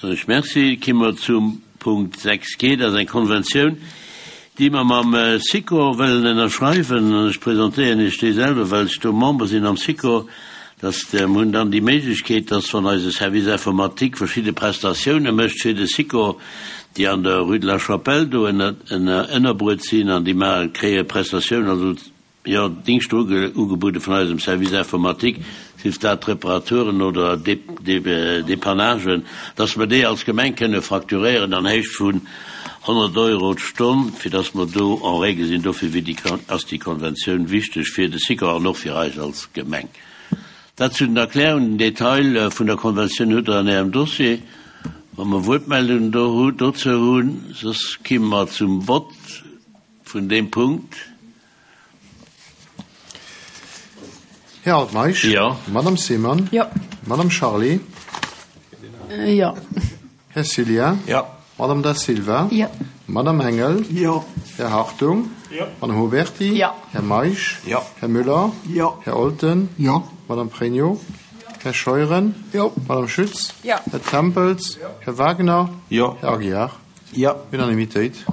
Soen ech Merci. Ki mer zum Punkt 6 G. Dat ass eng Konventioun, déi mer mam Sikor wëllen ënnerschreiwen. An ech presentéieren Iech déi selwer, well ech do Member sinn am Sikor, dass mer hunn dann déi Méiglechkeet, dass wann eise Service informatique verschidde Prestatioune mécht fir de Sikor, déi an der Rue de la Chapelle do ënnerbruet sinn an déi maachen, kréie Prestatiounen, also jo, Dingschter ugebuede vun eisem Service informatique, sief dat Reparaturen oder Depannagen, dass mer déi als Gemeng kënne facturéieren an Héicht vun 100 Euro d'Stonn, fir dass mer do en règle sinn. Dofir wier déi, ass déi Konventioun wichteg fir de Sikor an och fir eis als Gemeng. Dat zu den Erklärungen. Den Detail vun der Konventioun hutt Der an Ärem Dossier. Wa mer Wuertmeldungen do dozou hunn, soss ki mer zum Vott vun deem Punkt. Här Altmeisch? Jo. Madame Seemann? Jo. Madame Charlé? Jo. Här Cillien? Jo. Madame Da Silva? Jo. Madame Engel? Jo. Här Hartung? Jo. Madame Huberty? Jo. Här Meisch? Jo. Här Müller? Jo. Här Olten? Jo. Madame Pregno? Här Scheuren? Jo. Madame Schütz? Jo. Här Tempels? Jo. Här Wagner? Jo. Här Aguiar? Jo. Unanimitéit.